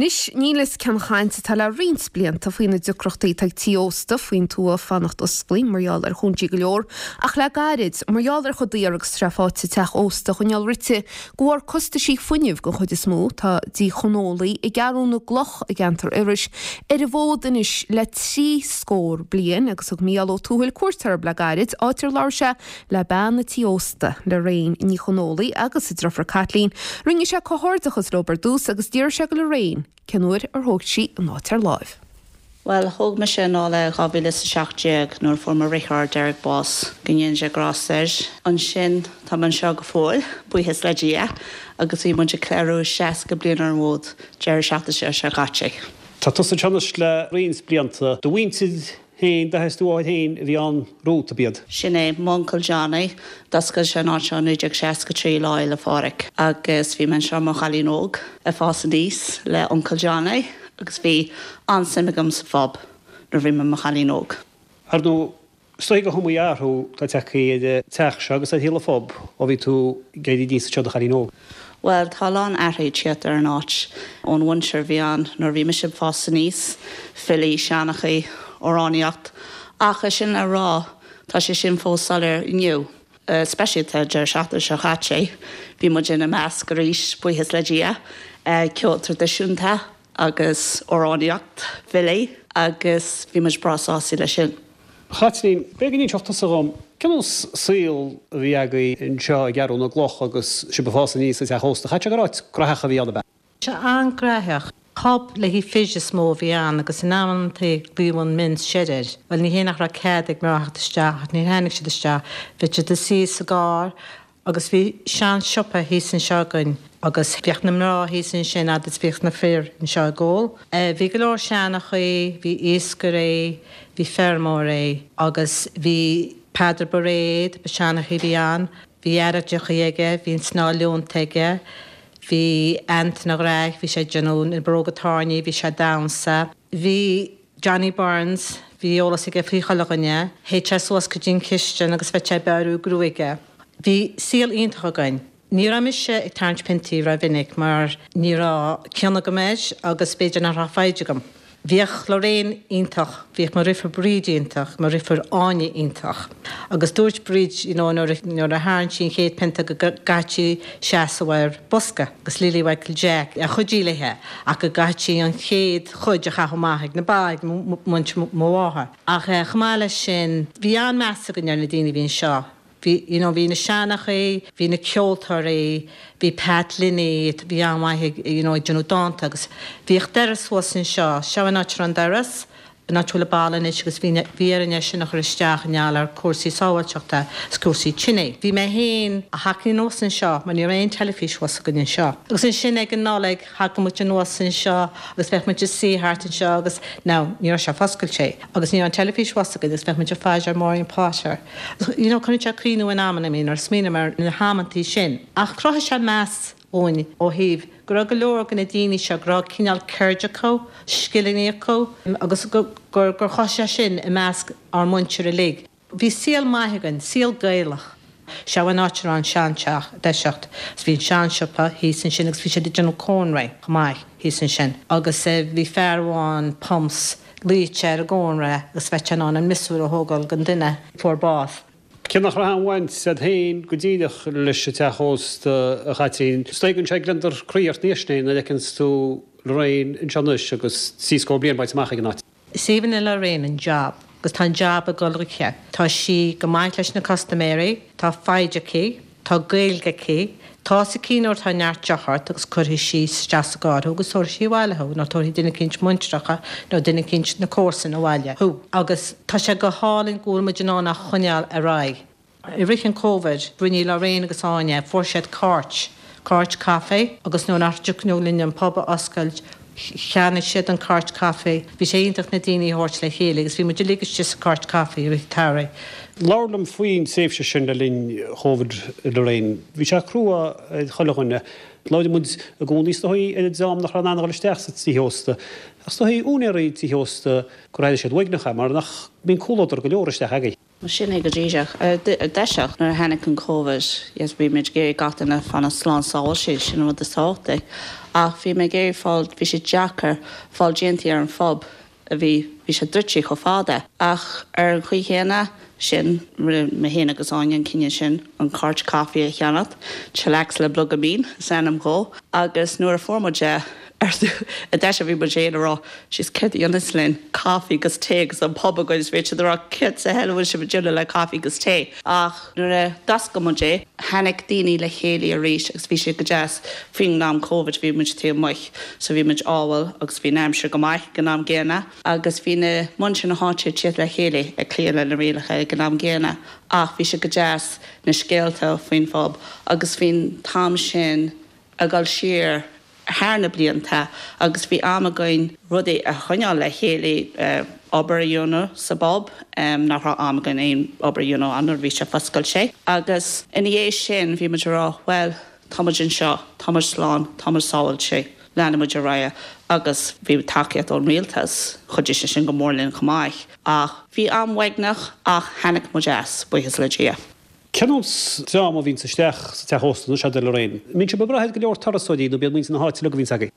Anois, níl fhios cén chaint atá le roinnt blianta faoi na deacrachtaí atá ag tí ósta faoin tuath fanacht osclaí mar gheall ar chúinsí go leor, ach le gairid, mar gheall ar chomh daor agus atá sé faighte teach ósta a choinneáil rite de bharr costaisí fuinnimh den chuid is mó, tá Dí Chonólaigh i gCeathrú na gCloch i gceantar Iorrais ar an bhfód anois le trí scór bliain agus thug Mícheál Ó Tuathail cuairt orthu le gairid, áit ar labhair sé le bean an tí ósta, Lorraine Ní Chonólaigh agus a driofúr Caitlín. Rinne sé comhghairdeachas leo ar dtús agus d'fhiafraigh sé de Lorraine cén uair ar thóg sí an áit ar láimh. Bhuel, thóg mise anall é 2017 nuair a fuair mo dheartháir Derek bás, go ndéana Dia grásta air. Ansin, tá mé anseo go fóill, buíochas le Dia, agus bhí muid ag ceiliúradh 60 bliain ar an bhfód deireadh seachtaine seo caite. Tá tusa anseo anois le roinnt blianta. Do mhuintir féin, d'athair is do mháthair féin a bhí ann romhat, ab iad? Sin é, m'uncail Johnny, d'oscail sé an áit seo i 1963, Lá Fhéile Phádraig, agus bhí mé anseo i mo chailín óg ag fás aníos le uncail Johnny agus bhí an-suim agam sa phub nuair a bhí mé i mo chailín óg. Ar ndóigh, is dóigh go hiomaí athrú atá tagtha ar an teach seo agus ar shaol an phub ó bhí tú ag éirí aníos anseo i do chailín óg. Bhuel, tá a lán athraithe ag tíocht ar an áit ón mhuintir a bhí ann nuair a bhí mise ag fás aníos, filí, seanchaí, amhránaíocht, ach é sin le rá, tá sé sin fós soiléir inniu. Speisialta deireadh seachtaine seo chaite, bhí muid ina measc arís, buíochas le Dia, ceol traidisiúnta agus amhránaíocht, filí, agus bhí muid breá sásta leis sin. A Chaitlín, b'fhéidir go n-inseodh tusa dhom, cén nós saol a bhí agaibh anseo i gCeathrú na gCloch agus sibh ag fás aníos sa teach ósta? Chaithfeadh sé gur áit graitheach a bhí ann, ab ea? Sea, an-graitheach. Pub le haghaidh fir is mó a bhí ann agus in amantaí glaodh an Men's Shed air. Bhuel, ní hé nach raibh cead ag mná theacht isteach ach níor tháinig siad isteach. Bheadh siad ag suí sa gcarr Agus bhí sean siopa thíos anseo againn agus bhíodh na mná thíos ansin fhad is bhíodh na fir anseo ag ól. Bhí go leor seanchaí, bhí iascairí, bhí feirmeoirí agus bhí Peadar Bairéad, ba seanchaí a bhí ann, bhí airgeadrachaí aige, bhí an snáth leonta aige, bhí Antain a' Ghraic, bhí sé ag déanamh na bróga tairní, bhí sé ag damhsa. Bhí. Johnny Burns, bhí eolas aige faoi chuile dhuine, théadh sé suas go dtí an chistin agus bheadh sé ag beiriú gruaige. Bhí saol iontach againn. Ní raibh mise ag tarraingt piontaí rómhinic mar ní raibh cion agam air agus b'fhéidir nach raibh foighid agam. Bhíodh Lorraine iontach, bhíodh mo dhriofúr Bríd iontach, mo dhriofúr Áine iontach. Agus dúirt Bríd you know nuair a tharraing sí an chéad pionta go gcaithfeadh sí seasamh ar bosca agus Lily Mhichael Jack a chuidigh léithe ach go gcaithfeadh sí an chéad chuid a chaitheamh amach ag na ba, ag muintir mo mháthar. Ach chomh maith leis sin, bhí an-meas againn ar na daoine a bhí anseo. Bhí, you know, bhí na seanchaí, bhí na ceoltóirí, bhí Pat Linney, bhí an-mhaith ag, you know, ag déanamh dánta agus bhíodh doras thuas anseo, seo an áit a raibh an doras, an áit a bhfuil an balla anois agus bhí bhí orainn é sin a chur isteach i ngeall ar cúrsaí sábháilteachta is cúrsaí tine. Bhí mé féin a thacaí anuas anseo mar ní raibh aon teilifís thuas againn anseo. Agus ansin ag an Nollaig thagadh muid anuas anseo agus bheadh muid ag suí thart anseo agus now ní raibh sé foscailte agus ní raibh an teilifís thuas againn agus bheadh muid ag faire ar Maureen Potter. You know cuireann sé cuimhniú in amanna mé nuair a smaoiním ar na hamantaí sin. Ach chruthaigh sé meas dhúinn ó thaobh go raibh go leor de na daoine seo, go raibh cineál ceird acu, scileanna acu agus gur chothaigh sé sin i measc ár muintir uilig. Bhí saol maith againn, saol Gaelach. Seo an áit a raibh an seanteach i dtoiseacht agus bhí an seansiopa thíos ansin agus bhí siad ag déanamh cónraí chomh maith thíos ansin agus bhí fear amháin, Pumps, luíodh sé ar an gcónra agus bheadh sé in ann an miosúr a thógáil den duine a fuair bás. Cé nach raibh aon bhaint agat féin go díreach leis an teach ósta, a Chaitlín, is dóigh go mbíonn sé gliondar croí ort níos sine nuair a fheiceanns tú Lorraine anseo anois agus 70 bliain bainte amach ag an áit. Is aoibhinn le Lorraine an jab agus tá an jab ag dul aici. Tá sí go maith leis na custaiméirí, tá foighid aici, tá Gaeilge aici, tá's aici nuair atá neart deoch ort agus cuirfidh sí isteach sa gcarr thú agus tabharfaidh sí abhaile thú nó tabharfaidh duine eicínt muintreacha nó duine eicínt na comharsana abhaile thú agus tá sé go hálainn go bhfuil muid in ann á choinneáil ar aghaidh. I rith an Covid, rinne Lorraine agus Áine, fuair siad cairt, cairt caife agus nuair nach dtiocfadh linn an pub a oscailt, cheannaigh siad an cairt caife. Bhí sé iontach na daoine a thabhairt le chéile agus bhí muid uilig istigh sa cairt caife i rith an tsamhraidh. Labhair liom faoin tréimhse sin le linn Chóvid, Lorraine. Bhí sé crua ar chuile dhuine. Labhraíonn muid i gcónaí is dóigh ar an dream nach raibh in ann a dhul isteach sa tithe ósta. Ach is dóigh úinéirí tithe ósta gur airigh siad uaigneach é mar nach mbíonn comhluadar go leor isteach agaibh. Sin é go díreach. Ar dtoiseach, nuair a tháinig an Covid, yes, bhí muid ag iarraidh gach duine fanacht slán sábháilte, sin an rud is tábhachtaí. Ach bhí mé ag iarraidh fáil, bhí sé deacair fáil déantaí ar an phub a bhí, bhí sé druidte chomh fada. Ach ar an chaoi chéanna sin, rinne mé féin agus Áine an cinneadh sin an cairt caife a cheannacht, Chillax le Bloga Mín is ainm dhó, agus nuair a fuair muid é, ar dtús bhí muid féin a rá, Jeez céard a dhéanfas linn, caife agus tae agus an pub againn is bhí siad a rá céard sa hell a bhfuil sibh ag déanamh le caife agus tae? Ach nuair a d'oscail muid é, tháinig daoine le chéile arís agus bhí sé go deas. Faoin am Covid bhí muid taobh amuigh so bhí muid ábhal agus bhí an aimsir go maith ag an am gcéanna agus bhí na muintir na háite ag tíocht le chéile ag cloí le na rialacha ag an am gcéanna ach bhí sé go deas na scéalta faoin phub agus faoin t-am sin ag dul siar thar na blianta agus bhí am againn rudaí a choinneáil le chéile, obair a dhéanamh sa bpub, nach raibh am againn aon obair a dhéanamh ann nuair a bhí sé foscailte. Agus ina dhiaidh sin bhí muid ag rá bhuel, tá muid anseo, tá muid slán, tá muid sábháilte, leanfaidh muid ar aghaidh agus bhí tacaíocht ón rialtas, chuidigh sé sin go mór linn chomh maith. Ach bhí am uaigneach ach tháinig muid as, buíochas le Dia. Cén nós dream a bhíonns isteach sa teach ósta anois, a Lorraine? An mbíonn sibh ag brath ar go leor turasóirí nó b'iad muintir na háite uilig a bhíonns agaibh?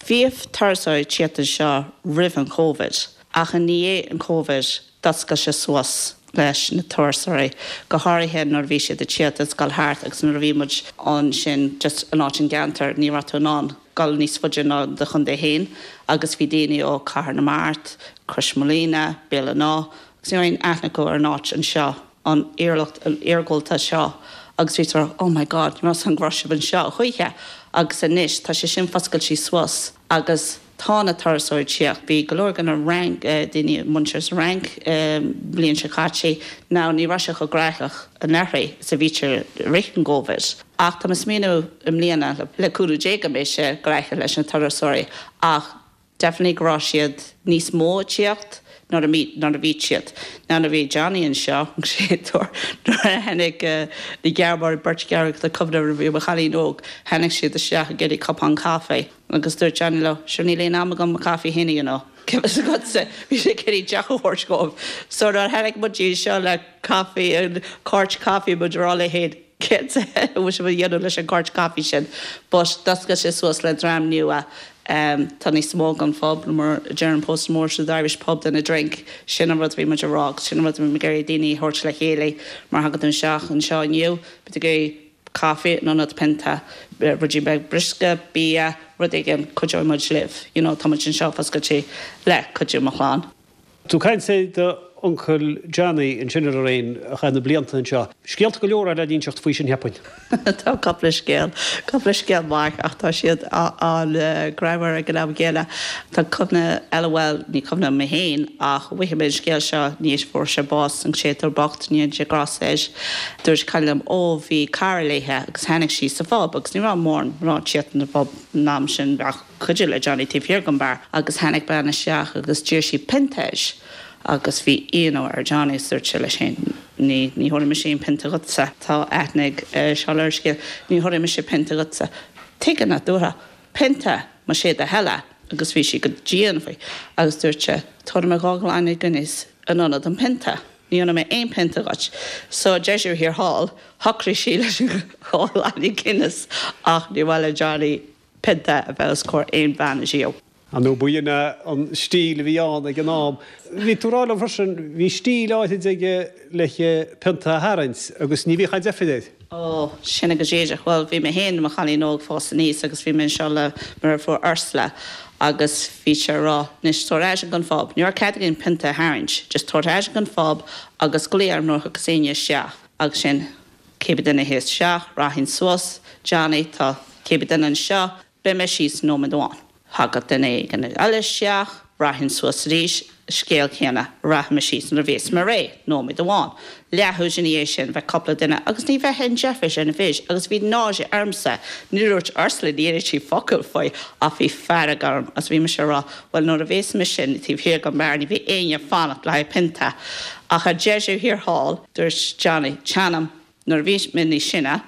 Bhíodh turasóirí ag tíocht anseo roimh an Covid ach i ndiaidh an Covid d'oscail sé suas leis na turasóirí, go háirithe nuair a bhí siad ag tíocht is dul thart agus nuair a bhí muid ansin just in áit an gceantar ní raibh tú in ann dul níos faide ná do chontae féin agus bhí daoine ó Cathair na Mart, Croismhaoilíona, Béal an Átha agus ní raibh aon aithne acu ar an áit anseo. an iarlacht iargúlta seo agus bhí siad oh my God ní raibh a fhios agam go raibh sibh anseo a choíche agus anois tá sé sin foscailte suas agus tá na turasóirí ag tíocht. Bhí go leor de na Fhrainc, daoine muintir sa Fhrainc bliain seo caite now ní raibh sé chomh graitheach anuraidh is a bhítear i rith an gCovid ach tá mé ag smaoineamh i mbliana le cúnamh Dé go mbeidh sé graitheach leis na turasóirí ach Definitely go raibh siad níos mó ag tíocht nuair a nuair a bhí siad. Now nuair a bhí Johnny anseo, an séadúr, nuair a tháinig na Gearmánaigh, beirt Ghearmánach, tá cuimhne orm nuair a bhí mé i mo chailín óg, tháinig siad isteach ag iarraidh cupán caife agus dúirt Johnny leo, sure níl aon am agam mo caife féin a dhéanamh. Cén fhios agatsa, bhí sé ag iarraidh deoch a thabhairt dhóibh. So nuair a tháinig muid anseo le caife, an cairt caife, muid ag rá linn féin, Céard sa hell a bhfuil sibh a dhéanamh leis an gcairt caife sin? But d'oscail sé suas le dream nua. Tá níos mó den phub, mar a deir an post more to the Irish pub than a drink. Sin an rud a bhí muid a rá agus sin an rud a bhí muid ag iarraidh daoine a thabhairt le chéile mar thagann tú isteach anseo inniu, beidh tú ag iarraidh caife in ionad pionta, ruidín beag briosca, bia, rud éigin, cuideoidh muid libh. You know, tá muid anseo foscailte le cuidiú mo chlann. Tú ag caint ar d'uncail Johnny ansin a Lorraine, a chaith na blianta anseo. Scéalta go leor le n-inseacht faoi sin cheapfainn. Tá cúpla scéal, cúpla scéal maith ach tá siad an-ghreannmhar ag an am gcéanna. Tá cuimhne eile, bhuel, ní cuimhne liom mé féin ach mhothaigh mé an scéal seo tar éis fuair sé bás, an séadúr bocht, go ndéana Dia grásta air. Dúirt cailín liom, ó bhí cara léithe agus tháinig sí sa phub agus ní raibh mórán mná ag tíocht in the pub an am sin ach, cuidiú le Johnny taobh thiar den beár agus tháinig bean isteach agus d'iarr sí pionta air agus bhí ionadh ar Johnny agus dúirt sé leis féin ní, ní thabharfaidh mise aon pionta dhuitse, tá aithne ag Seán ar an scéal, ní thabharfaidh mise pionta dhuitse. Tuige nach dtabharfá pionta más é do thoil é agus bhí sí go dian faoi agus dúirt sé tabharfaidh mé 2 ghloine Guinness in ionad an pionta. Ní dheonfaidh mé aon pionta dhuit. So deireadh thiar thall, shocraigh sí leis an dhá ghloine Guinness ach níor mhaith le Johnny pionta a bheith os comhair aon bhean ariamh. Ar ndóigh, b'in é an stíl a bhí ann ag an am. Bhí tú ag rá liom freisin, bhí stíl áithrid aige le pionta a tharraingt agus ní bhíodh aon deifir air. Ó, sin é go díreach. Bhuel, bhí mé féin i mo chailín óg fás aníos agus bhí mé anseo le mo dheirfiúr Ursula agus bhí sé ag rá, anois tabhair ar ais ag an phub, ní raibh cead againn pionta a tharraingt, just tabhair ar ais ag an phub agus glaoigh orm nuair a thiocfas éinne isteach agus sin. Cibé duine a théas isteach, rachainn suas, Johnny, tá cibé duine anseo, beidh mé síos nóiméad amháin. Thagadh duine éigin eile isteach, rachainn suas arís, scéal céanna, rachaidh mé síos nuair a bhéas mé réidh, nóiméad amháin. Leathuair ina dhiaidh sin, bheadh cúpla duine, agus ní bheadh aon deifir ar na fir, agus bhí náire ormsa, ní dúirt Ursula, ní dúirt sí focal faoi, ach bhí fearg orm, agus bhí mise ag rá, bhuel nuair a bhéas mise taobh thiar den mbeár, ní bheidh éinne ag fanacht le haghaidh pionta. Ach ar deireadh thiar thall, dúirt Johnny, Téanam, nuair a bhí mé níos sine,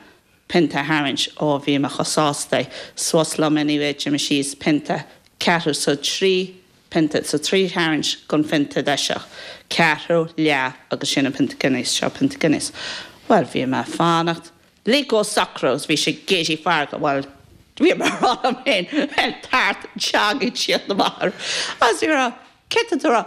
pionta a tharraingt, ó bhí mé chomh sásta, suas liom anyway, d'imigh síos, pionta, ceathrú so trí pionta, so trí tharraingt den phionta deiseach, ceathrú, leath agus sin an pionta Guinness, seo pionta Guinness. Bhuel, bhí mé ag fanacht, lig go socrú agus bhí sé ag éirí feargach, bhuel. Bhí mé ag rá liom féin, tart teanga ag tíocht amach agus bhí mé ag rá, céard tá tú a rá?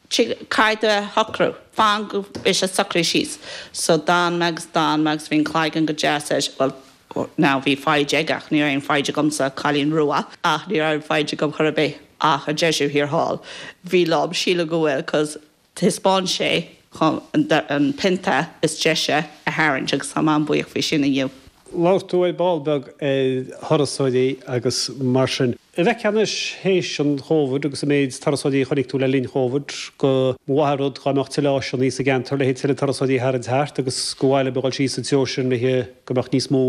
Caithfidh tú a shocrú, fan go mbeidh sé socraithe síos. So d'fhan mé agus d'fhan mé agus bhí an cloigeann go deas air, bhuel now bhí foighid aige ach ní raibh aon foighid agamsa, cailín rua, ach ní raibh aon foighid agam chor ar bith ach ar deireadh thiar thall bhí liom, sílim go bhfuil cos Thaispeáin sé dhom an pionta is deise a tharraingt agus táim an-bhuíoch faoi sin inniu. Labhair tú ar ball beag ar thurasóirí agus mar sin. An bhfeicfeá anois théis an Chóvid agus an méid turasóirí a chonaic tú le linn Chóvid go mba mhaith an rud dá mbeadh tuilleadh áiseanna sa gceantar le tuilleadh turasóirí a tharraingt thart agus gur mhaith libh a dhul síos an treo sin le go mbeadh níos mó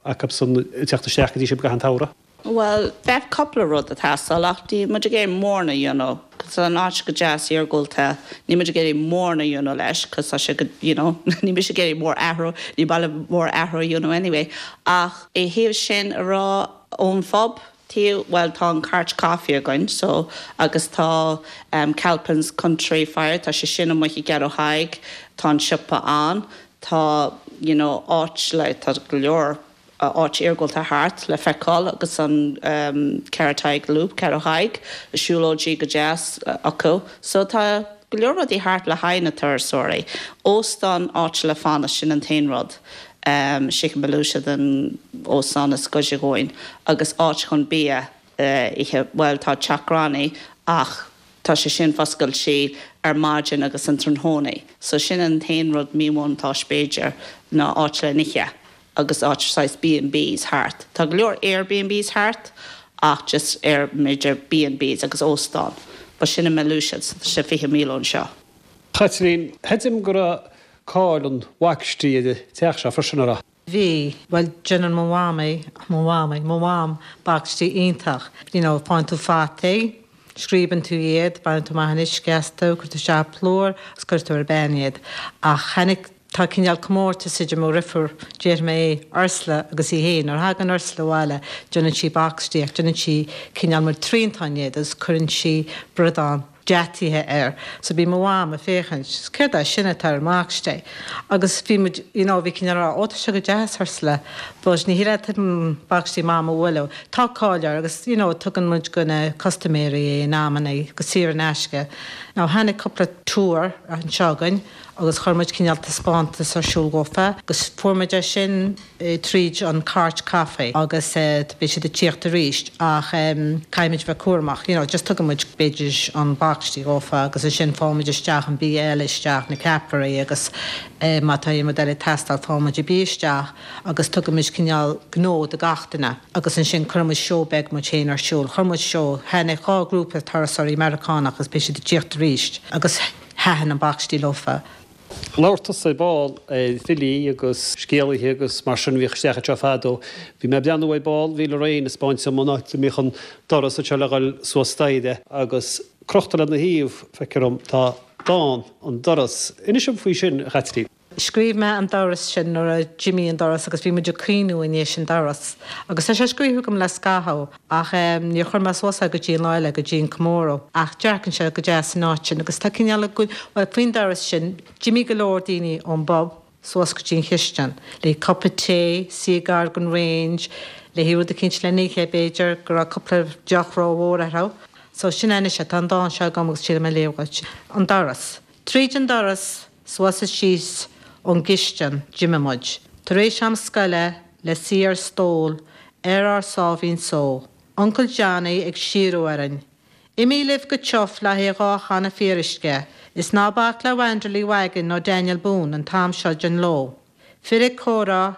acusan ag teacht isteach go dtí sibh i gcaitheamh an tsamhraidh? Bhuel, bheadh cúpla rud ag teastáil ach níl muid ag iarraidh mórán a dhéanamh 'cause tá an áit go deas iargúlta, níl muid ag iarraidh mórán a dhéanamh leis 'cause tá sé go, you know, níl mise ag iarraidh mór athrú, ní maith liom mór athrú a dhéanamh anyway. Ach i thaobh sin a rá ón phub taobh, bhuel tá an Cairt Coffee againn so agus tá Calpin's Country Fire, tá sé sin amuigh i gCeathrú Thaidhg, tá an siopa ann, tá, you know, áit le, tá go leor, áit iargúlta thart le feiceáil agus an Ceathrú Thaidhg Loop, Ceathrú Thaidhg, siúlóidí go deas acu. So tá go leor rudaí thart le haghaidh na turasóirí. Óstán, áit le fanacht, sin an t-aon rud. Chez Malusiad an óstán is gaire dhúinn agus áit chun bia a ithe, bhuel tá Teach Granny ach tá sé sin foscailte ar maidin agus an tráthnóna. So sin an t-aon rud míbhuntáiste b'fhéidir ná áit le n-ithe. agus áit saghas B&Bs thart. Tá go leor Airbnbs thart ach just ar b'fhéidir B&Bs agus óstán. But sin i mBealach so tá sé 20 míle ón seo. Chaitlín, Chreidim go raibh cáil an bhaicistí ar an teach seo freisin, an raibh? Bhí. Bhuel, déanann mo mhamaí, mo mhamaí, mo mham bacistí iontach. You know, faigheann tú fataí, scríobann tú iad, baineann tú amach an uisce astu, cuireann tú isteach plúr agus cuireann tú ar an bpan iad. Ach tháinig Tá cineál comórtas idir mo dheirfiúr, déarfaidh mé é, Ursula agus í féin. Nuair a thagann Ursula abhaile déanann sí bacistí ach déanann sí cineál mar triantán iad agus cuireann sí bradán deataithe air. So bhí mo mham ag féachaint, céard é sin atá ar an mbacistí? Agus bhí muid, you know, bhí cineál a rá, ó tá sé go deas Ursula, but ní hé leat bacistí mam a bhualadh. Tá cáil air agus, you know, tugann muid go na custaiméirí é in amannaí go saor in aisce. Now tháinig cúpla tour anseo againn. agus chuir muid cineál taispeántas ar siúl dhófa agus fuair muid é sin tríd an Cairt Caife agus beidh siad ag tíocht arís ach caithfidh muid bheith cúramach, you know, just tugann muid b'fhéidir an bacistí dhófa agus ansin fághann muid isteach an bia eile isteach, na ceapairí agus má tá aon rud eile ag teastáil fághann muid an bia isteach agus tugann muid cineál gnó do gach duine agus ansin cuireann muid seó beag muid féin ar siúl. Chuir muid seó, tháinig 2 grúpa turasóirí Meiriceánach agus beidh siad ag tíocht arís agus. Thaitin an bacistí leofa. Labhair tusa ar ball ar fhilí agus scéalaithe agus mar sin a bhíodh isteach anseo fadó. Bhí mé ag breathnú ar ball, bhí Lorraine ag 'spáint dom an áit a mbíodh an doras anseo le dhul suas staighre agus crochta lena thaobh, feictear dom, tá dán, An Doras. Inis dom faoi sin, a Chaitlín. Scríobh mé an doras sin nuair a d'imigh an doras agus bhí muid ag caoineadh i ndiaidh an doras. Agus tá sé scríofa agam le scaitheamh ach níor chuir mé suas é go dtí an lá eile, go dtí an comóradh. Ach dearcann sé go deas san áit sin agus tá cineál ag, bhuel faoin doras sin, d'imigh go leor daoine ón bpub suas go dtí an chistin le cupa tae, suí gar don range, le haghaidh rud eicínt le n-ithe b'fhéidir, go raibh cúpla deoch rómhór orthu. So sin é anois é, tá an dán seo agam agus triailfidh mé a léamh dhuit. An doras. Tríd an doras Suas is síos ón gcistin d'imigh muid, tar éis am scoile, le suí ar stól ar ár sáimhín só, Uncail Johnny ag síorú orainn, Imigh libh go tiuf le haghaidh 2 channa fíoruisce, is ná bac le Wanderley Wagon nó Daniel Boone an t-am seo den ló. Fir ag comhrá,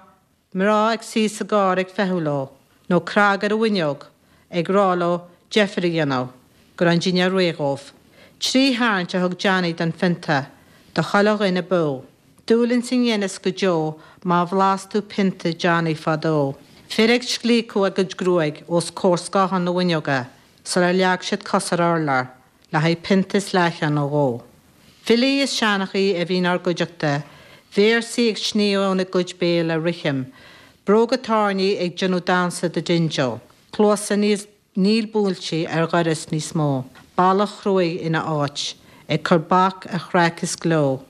Mná ag suí sa gcarr ag feitheamh leo, nó cnag ar an bhfuinneog, ag rá leo deifir a dhéanamh, go raibh an dinnéar réidh dhóibh. Trí tharraingt a thug Johnny den phionta do chuile dhuine b'fhiú. Dúil ins an Guinness go deo má bhlas tú pionta Johnny fadó. Fir ag scliocadh a gcuid gruaig os comhair scáthán na bhfuinneoga sular leag siad cos ar urlár. le haghaidh pionta is leathcheann nó dhó. Filí is seanchaí a bhí inár gcuideachta, véarsaí ag sníomh óna gcuid béil le rithim, bróga tairní ag déanamh damhsa do dingeal, cluasa níl buailte ar dhoras níos mó, balla chruaidh ina áit, ag cur bac ar chraic is gleo,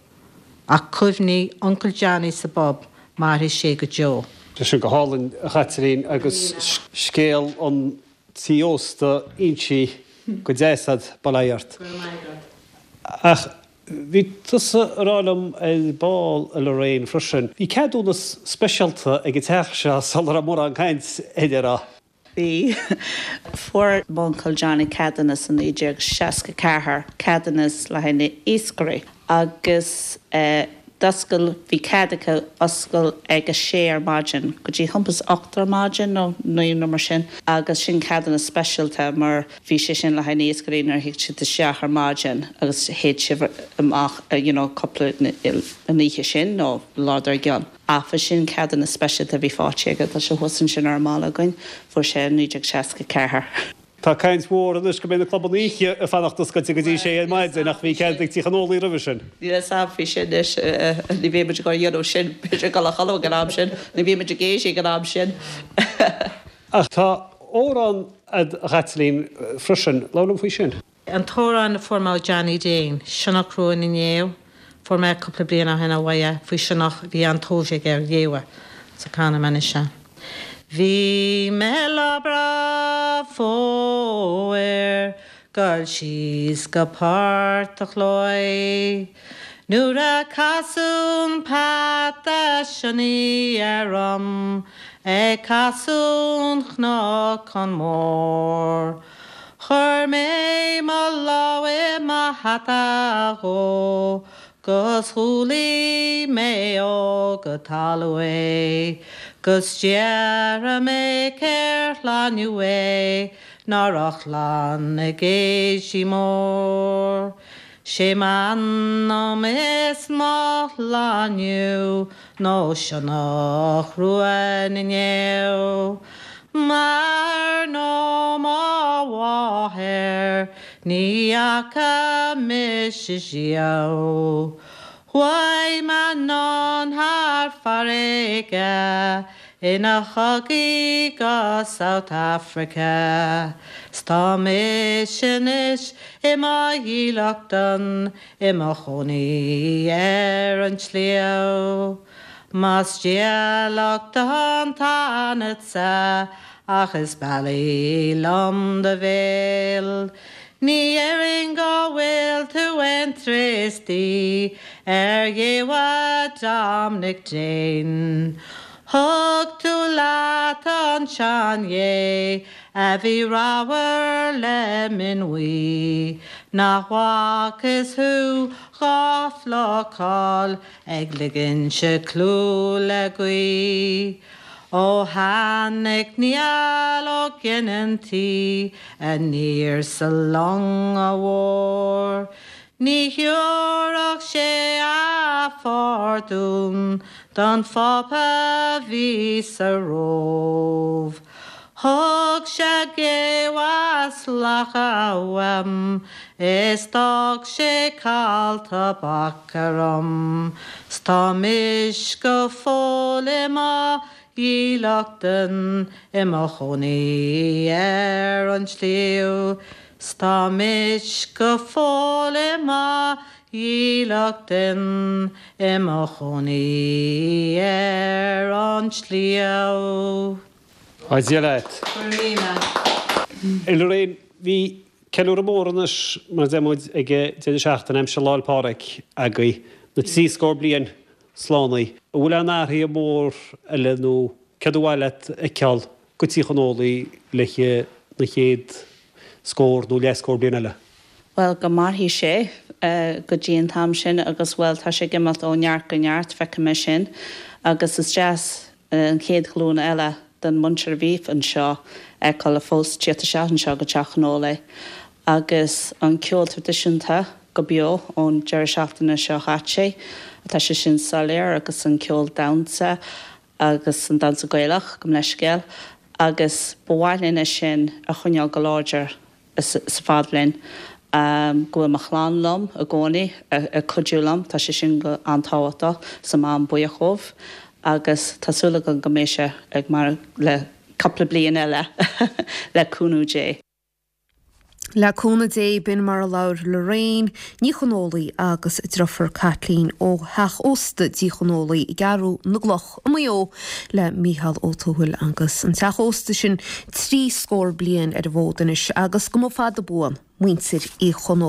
ach cuimhní Uncail Johnny sa bpub, mairfidh sé go deo. Tá sin go hálainn, a Chaitlín, agus scéal an tí ósta inste go deas a'd, bail ó Dhia ort. Go raibh maith agat. Ach bhí tusa a rá liom ar ball, a Lorraine, freisin, bhí ceadúnas speisialta ag an teach seo sula raibh mórán caint air, an raibh? Bhí. Fuair m'uncail Johnny ceadúnas i 1964, ceadúnas le haghaidh na iascairí agus d'oscail, bhí cead acu oscail ag a sé ar maidin go dtí thimpeall is 8 ar maidin nó 9 nó mar sin agus sin ceadúnas speisialta mar bhí sé sin le haghaidh na iascairí nuair a thig siad isteach ar maidin agus théid siad amach you know cúpla an oíche sin nó lá dár gcionn. Ach bhí sin ceadúnas speisialta a bhí faighte aige, tá sé thuas ansin ar an mballa againn, fuair sé i 1964. Tá caint mhór anois go mbeidh na clubanna oíche ag fanacht oscailte go dtí sé ar maidin ach bhí cead ag Tigh an Ólaí roimhe sin. Níl a fhios a'm faoi sin anois, ní bhíonn muid ag dul a dhéanamh sin, b'fhéidir ag dul a chodladh ag an am sin, ní bhíonn muid ag éirí ag an am sin. Ach tá amhrán a'd a Chaitlín freisin, labhair liom faoi sin. An t-amhrán a fuair mé ó Johnny Dane, Sionnach Rua na nGéabh, fuair mé cúpla bliain ó shin ó uaidh faoi sionnach a bhí an-tóir aige ar ghéabha, so canfaidh mé anois é. Bhí mé lá breá fómhair goil síos go Port a' Chlóidh Nuair a casadh an peata sionnaigh orm ag casadh an Chnocán Mór. Chuir mé mo lámh i mo hata dhó 'gus chúlaigh mé ó go talamh é 'gus déarfaidh mé cér shlánú é ná raibh chlann ag éisí mór. 'Sé m'anam is mo shlánú nó sionnach rua na ngéabh. M'athair nó mo mháthair ní fhaca mise riamh. Chuaigh mé anonn thar farraige ina chogaí go South Africa 's tá mise anois i mo dhílleachtan i mo chónaí ar an tsliabh. Más dílleachtán tá ionatsa ach is bealaí liom do bhéal. Ní dhéarfainn go bhfuil tú aon triostaí ar ghéabha Dominic Dane. Thug tú leat an tseanghé a bhí ramhar le min bhuí, nach bhfacthas thú dhá phlucáil ag ligint clú le gaoith. Ó tháinig Niall Ó Ginneantaí aniar sa long mhór, ní thiúrfadh sé a phardún don Phápa bhí sa Róimh. Thug sé géabha 's lacha uaim is d'fhág sé cail tobac orm 's tá mise go fóill i mo dhílleachtan i mo chónaí ar an tsliabh 's tá mise go fóill i mo dhílleachtan i mo chónaí ar an tsliabh. A Dhia leat. Go raibh míle. A Lorraine, bhí ceiliúradh mór anois, mar a deir muid, ag an deireadh seachtaine aimsir Lá 'le Pádraig agaibh, na 70 bliain slánaithe. An bhfuil aon athruithe mór eile nó céard ba mhaith leat a fheiceáil go Tír an Ólaigh le na chéad scór nó leathscór bliain eile? Bhuel, go mairfidh sé go dtí an t-am sin agus, bhuel, tá sé ag imeacht ó neart go neart, feicim é sin agus is deas an chéad ghlúin eile den mhuintir a bhí anseo a fheiceáil fós tíocht isteach anseo go Teach an Ólaigh agus an ceol traidisiúnta go beo ón deireadh seachtaine seo chaite. Tá sé sin soiléir agus an ceol damhsa agus an damhsa Gaelach, gabh mo leithscéal, agus ba mhaith linn é sin a choinneáil go láidir. sa fad linn, go bhfuil mo chlann liom i gcónaí ag cuidiú liom, tá sé sin go an-tábhachtach, 's tá mé an-buíoch dhóibh agus tá súil agam go mbeidh sé ag maireachtáil le cúpla bliain eile le cúnamh Dé. Le cúnamh Dé, b'in mar a labhair Lorraine Ní Chonfhaola agus a driofúr Caitlín ó theach ósta Dí Chonfhaola i gCeathrú na gCloch i Maigh Eo le Mícheál Ó Tuathail agus an teach ósta sin trí scór bliain ar an bhfód anois agus go mba fada buan muintir Uí Chonfhaola.